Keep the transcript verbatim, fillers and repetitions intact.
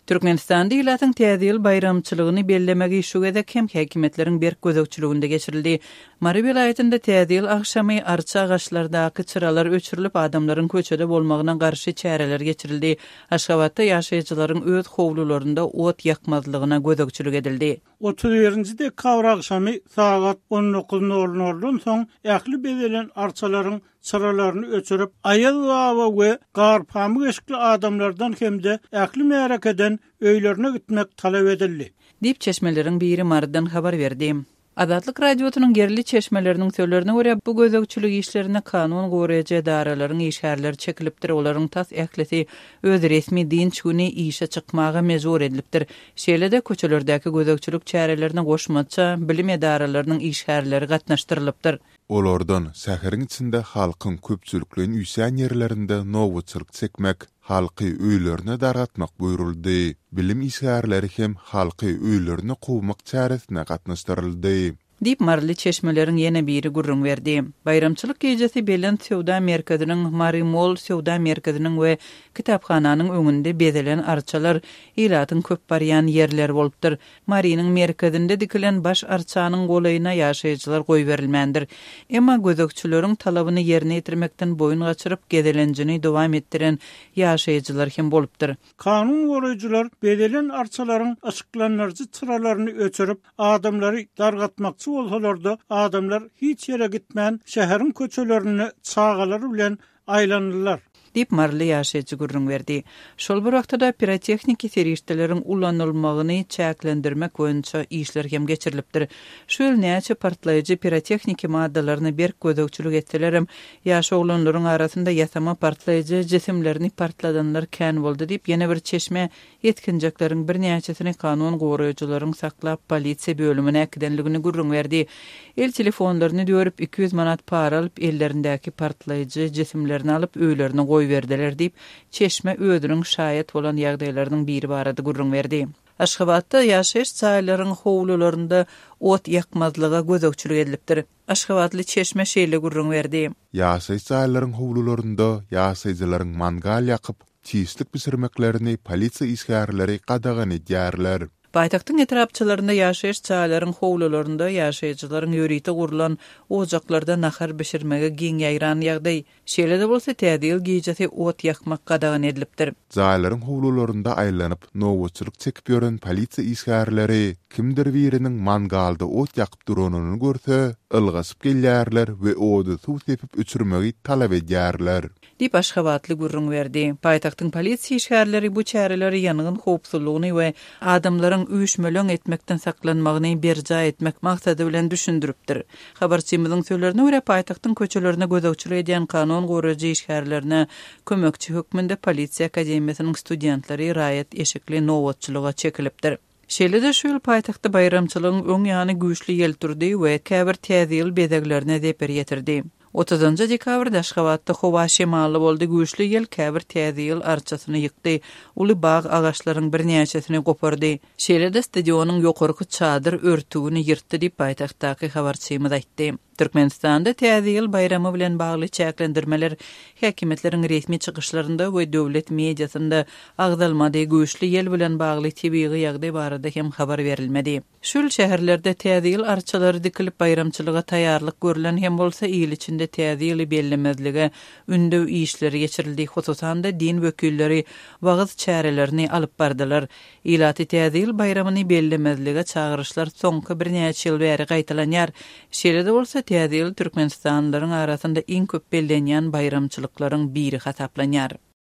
Türkmenistanda ilatyň Täze ýyl baýramçylygyny bellemegi şu gezek hem häkimiýetleriň berk gözegçiliginde geçirildi. Mary welaýatynda Täze ýyl agşamy arça agaçlardaky çyralar öçürilip, adamlaryň köçede bolmagyna garşy çäreler geçirildi. Aşgabatda ýaşaýjylaryň öz howlularynda ot ýakmazlygyna gözegçilik edildi. Otuz birinji dekabr agşamy sagat on dokuz nol noldan soň ähli bezelen arçalaryň çyralaryny öçürip, Aýaz baba we garpamyk eşikli adamlardan hem-de ähli märekeden öýlerine gitmek talap edildi. Diýip çeşmeleriň biri Marydan habar berdi. Azatlyk Radiosynyň ýerli çeşmeleriniň sözlerine görä, bu gözegçilik işlerine kanun goraýjy edaralaryň işgärleri çekilipdir, olaryň tas ählisi öz resmi dynç güni işe çykmaga mejbur edilipdir. Şeýle-de köçelerdäki gözegçilik çärelerine goşmaça bilim edaralarynyň işgärleri gatnaşdyrylypdyr. Olardan şäheriň içinde halkyň köpçülikleýin üýşýän ýerlerinde nobatçylyk çekmek, halky öýlerine dargatmak buýruldy. Bilim işgärleri hem halky öýlerine kowmak çäresine gatnaşdyryldy. Diýip Maryly çeşmeleriň ýene biri gürrüň berdi. Baýramçylyk gijesi Belent söwda merkeziniň, Mary Mall söwda merkeziniň we kitaphananyň öňünde bezelen arçalar ilatyň köp barýan ýerleri bolupdyr. Marynyň merkezinde dikilen baş arçanyň golaýyna ýaşaýjylar goýberilmändir. Emma gözegçileriň talabyny ýerine ýetirmekden boýun gaçyryp gezelenjini dowam etdiren ýaşaýjylar hem bolupdyr. Kanun goraýjylar bezelen arçalaryň yşyklandyryjy çyralaryny öçürip, adamlary dargatmakçy bolsalar-da, adamlar hiç ýere gitmän şäheriň köçelerinde çagalary bilen aýlandylar. Diýip Maryly ýaşaýjy gürrüň berdi. Şol bir wagtda pirotehniki serişdeleriň ulanylmagyny çäklendirmek boýunça işler hem geçirilipdir. Şu ýyl näçe partlaýjy pirotehniki maddalaryny berk gözegçilik etselerem, ýaş oglanlaryň arasynda ýasama partlaýjy jisimlerini partladanlar kän boldy diýip ýene bir çeşme ýetginjekleriň birnäçesini kanun goraýjylaryň saklap polisiýa bölümine äkidenligini gürrüň berdi. El telefonlaryny dörüp iki ýüz manat para alyp ellerindäki partlaýjy jisimlerini alyp öýlerine goýberdiler diýip çeşme özüniň şaýat bolan ýagdaýlarynyň biri barada gürrüň berdi. Aşgabatda ýaşaýyş jaýlaryň howlularynda ot ýakmazlyga gözegçilik edilipdir. Aşgabatly çeşme şeýle gürrüň berdi. Ýaşaýyş jaýlaryň howlularynda ýaşaýjylaryň mangal ýakyp, çişlik bişirmeklerini polisiýa işgärleri gadagan edýärler. Paýtagtyň etrapçalarynda ýaşaýyş jaýlaryň howlularynda ýaşaýjylaryň ýörite gurlan ojaklarda nahar bişirmege giň ýaýran ýagdaý. Şeýle-de bolsa Täze ýyl gijesi ot ýakmak gadagan edilipdir. Jaýlaryň howlularynda aýlanyp, nobatçylyk çekip ýören polisiýa işgärleri kimdir biriniň mangalda ot ýakyp duranyny görse, ylgaşyp gelýärler we ody suw sepip öçürmegi talap edýärler. Diýip Aşgabatly gürrüň berdi. Paýtagtyň polisiýa işgärleri bu çäreleri ýangyn howpsuzlygyny we adamlaryň üýşmeleň etmekden saklanmagyny berjaý etmek maksady bilen düşündiripdir. Habarçymyzyň sözlerine görä paýtagtyň köçelerine gözegçilik edýän kanun goraýjy işgärlerine kömekçi hökmünde polisiýa akademiýasynyň studentleri raýat eşikli nobatçylyga çekilipdir. Şeýle-de şu ýyl paýtagtda baýramçylygyň öň ýany güýçli ýel turdy we käbir Täze ýyl bezeglerine zeper ýetirdi. Otuzynjy dekabrda Aşgabatda howa şemally boldy, güýçli ýel käbir Täze ýyl arçasyny ýykdy, uly bag agaçlaryň birnäçesini gopardy. Şeýle-de stadionyň ýokarky çadyr örtügini ýyrtdy diýip paýtagtdaky habarçymyz aýtdy. Türkmenistanda Täze ýyl baýramy bilen bagly çäklendirmeler häkimiýetleriň resmi çykyşlarynda we döwlet mediasynda agzalmady, güýçli ýel bilen bagly tebigy ýagdaý barada hem habar berilmedi. Şu ýyl şäherlerde Täze ýyl arçalary dikilip baýramçylyga taýýarlyk görülen hem bolsa ýyl içinde Täze ýyly bellemezlige ündew işleri geçirildi. Hususan-da din wekilleri wagyz çärelerini alyp bardylar. Ilaty Täze ýyl baýramyny bellemezlige çagyryşlar soňky birnäçe ýyl bäri gaýtalanýar. Şeýle-de bolsa Täze ýyl Türkmenistanlylaryň arasynda iň köp bellenýän baýramçylyklaryň biri hasaplanýar.